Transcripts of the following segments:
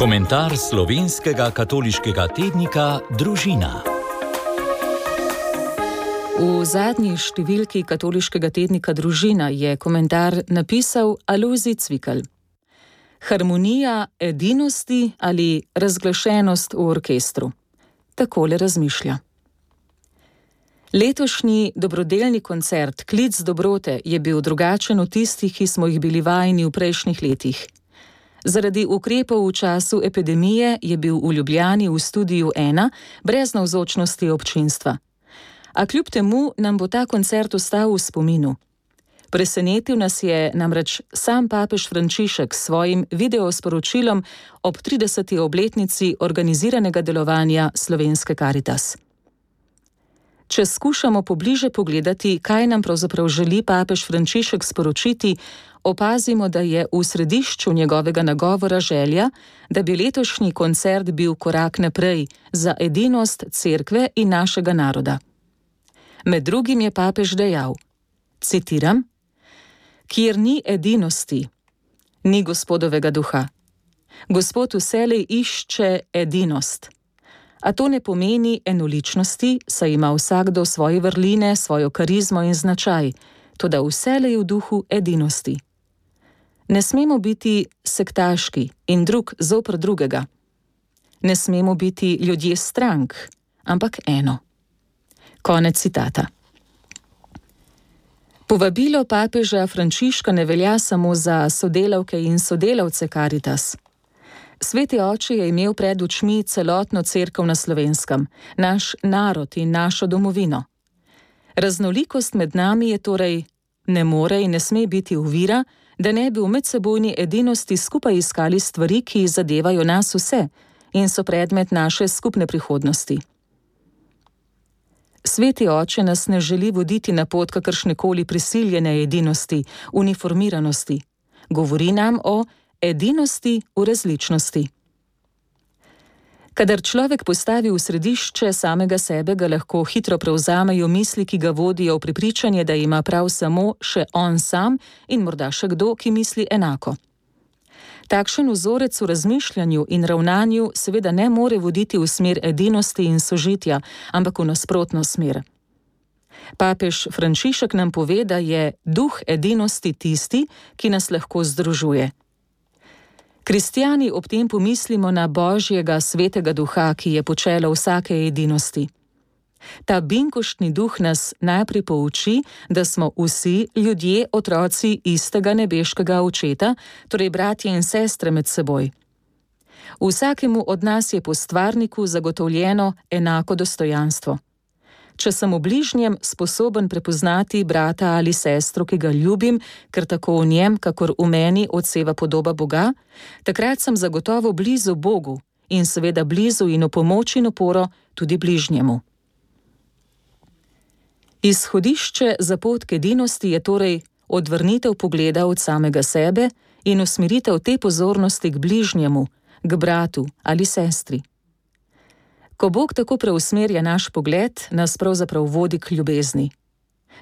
Komentar slovenskega katoliškega tednika Družina. V zadnji številki katoliškega tednika Družina je komentar napisal Alojzij Cvikl. Harmonija edinosti ali razglašenost v orkestru. Takole razmišlja. Letošnji dobrodelni koncert Klic dobrote je bil drugačen od tistih, ki smo jih bili vajeni v prejšnjih letih. Zaradi ukrepov v času epidemije je bil v Ljubljani v studiu 1 brez navzočnosti občinstva. A kljub temu nam bo ta koncert ostal v spominu. Presenetil nas je namreč sam papež Frančišek s svojim videosporočilom ob 30. obletnici organiziranega delovanja Slovenske Karitas. Če skušamo pobliže pogledati, kaj nam pravzaprav želi papež Frančišek sporočiti, opazimo, da je v središču njegovega nagovora želja, da bi letošnji koncert bil korak naprej za edinost cerkve in našega naroda. Med drugim je papež dejal, citiram, kjer ni edinosti, ni Gospodovega duha. Gospod vselej išče edinost. A to ne pomeni enoličnosti, saj ima vsakdo svoje vrline, svojo karizmo in značaj, toda vselej v duhu edinosti. Ne smemo biti sektaški in drug zoper drugega. Ne smemo biti ljudje strank, ampak eno. Konec citata. Povabilo papeža Frančiška ne velja samo za sodelavke in sodelavce Karitas. Sveti oče je imel pred očmi celotno cerkev na Slovenskem, naš narod in našo domovino. Raznolikost med nami je torej ne more in ne sme biti ovira, da ne bi v medsebojni edinosti skupaj iskali stvari, ki zadevajo nas vse in so predmet naše skupne prihodnosti. Sveti oče nas ne želi voditi na pot kakršnekoli prisiljene edinosti, uniformiranosti. Govori nam o edinosti v različnosti. Kadar človek postavi v središče samega sebe, ga lahko hitro prevzamejo misli, ki ga vodijo v prepričanje, da ima prav samo še on sam in morda še kdo, ki misli enako. Takšen vzorec v razmišljanju in ravnanju seveda ne more voditi v smer edinosti in sožitja, ampak v nasprotno smer. Papež Frančišek nam pove, da je duh edinosti tisti, ki nas lahko združuje. Kristjani ob tem pomislimo na Božjega svetega duha, ki je počelo vsake edinosti. Ta binkoštni duh nas najprej pouči, da smo vsi ljudje otroci istega nebeškega očeta, torej bratje in sestre med seboj. Vsakemu od nas je po stvarniku zagotovljeno enako dostojanstvo. Če sem v bližnjem sposoben prepoznati brata ali sestro, ki ga ljubim, ker tako v njem, kakor v meni odseva podoba Boga, takrat sem zagotovo blizu Bogu in seveda blizu in v pomoč in oporo tudi bližnjemu. Izhodišče za pot k edinosti je torej odvrnitev pogleda od samega sebe in usmeritev te pozornosti k bližnjemu, k bratu ali sestri. Ko Bog tako preusmerja naš pogled, nas pravzaprav vodi k ljubezni.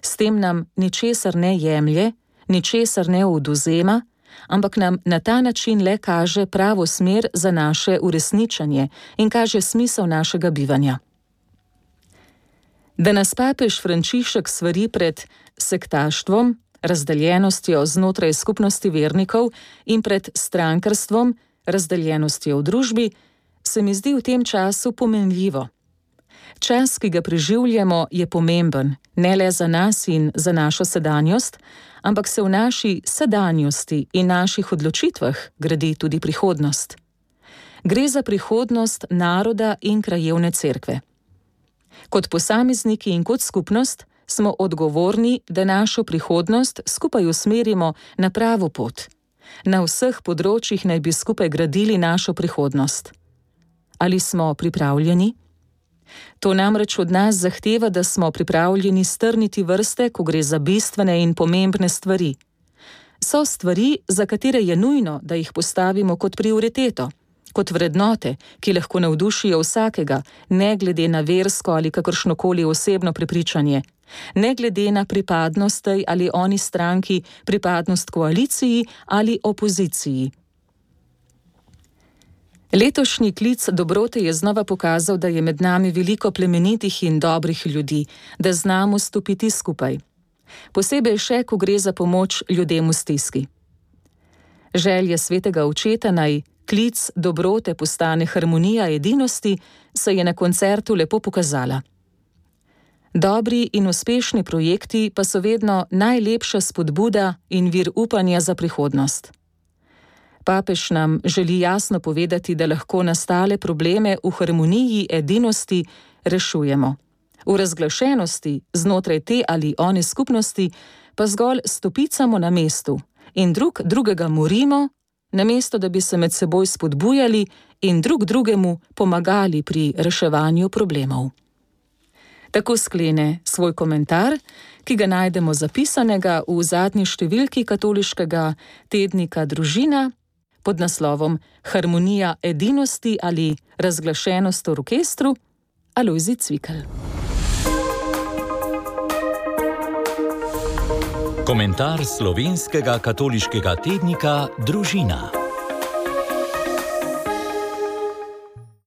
S tem nam ničesar ne jemlje, ničesar ne odvzema, ampak nam na ta način le kaže pravo smer za naše uresničenje in kaže smisel našega bivanja. Da nas papež Frančišek svari pred sektaštvom, razdeljenostjo znotraj skupnosti vernikov in pred strankarstvom, razdeljenostjo v družbi, se mi zdi v tem času pomenljivo. Čas, ki ga preživljamo, je pomemben, ne le za nas in za našo sedanjost, ampak se v naši sedanjosti in naših odločitvah gradi tudi prihodnost. Gre za prihodnost naroda in krajevne cerkve. Kot posamezniki in kot skupnost smo odgovorni, da našo prihodnost skupaj usmerimo na pravo pot. Na vseh področjih naj bi skupaj gradili našo prihodnost. Ali smo pripravljeni? To namreč od nas zahteva, da smo pripravljeni strniti vrste, ko gre za bistvene in pomembne stvari. So stvari, za katere je nujno, da jih postavimo kot prioriteto, kot vrednote, ki lahko navdušijo vsakega, ne glede na versko ali kakršnokoli osebno prepričanje, ne glede na pripadnost tej ali oni stranki, pripadnost koaliciji ali opoziciji. Letošnji klic dobrote je znova pokazal, da je med nami veliko plemenitih in dobrih ljudi, da znamo stopiti skupaj. Posebej še, ko gre za pomoč ljudem v stiski. Želje svetega očeta naj klic dobrote postane harmonija edinosti, se je na koncertu lepo pokazala. Dobri in uspešni projekti pa so vedno najlepša spodbuda in vir upanja za prihodnost. Papež nam želi jasno povedati, da lahko nastale probleme v harmoniji edinosti rešujemo. V razglašenosti znotraj te ali one skupnosti pa zgolj stopicamo na mestu in drugega morimo, namesto da bi se med seboj spodbujali in drugemu pomagali pri reševanju problemov. Tako sklene svoj komentar, ki ga najdemo zapisanega v zadnji številki katoliškega tednika Družina pod naslovom Harmonija edinosti ali razglašenost v orkestru, Alojzij Cvikl. Komentar slovenskega katoliškega tednika Družina.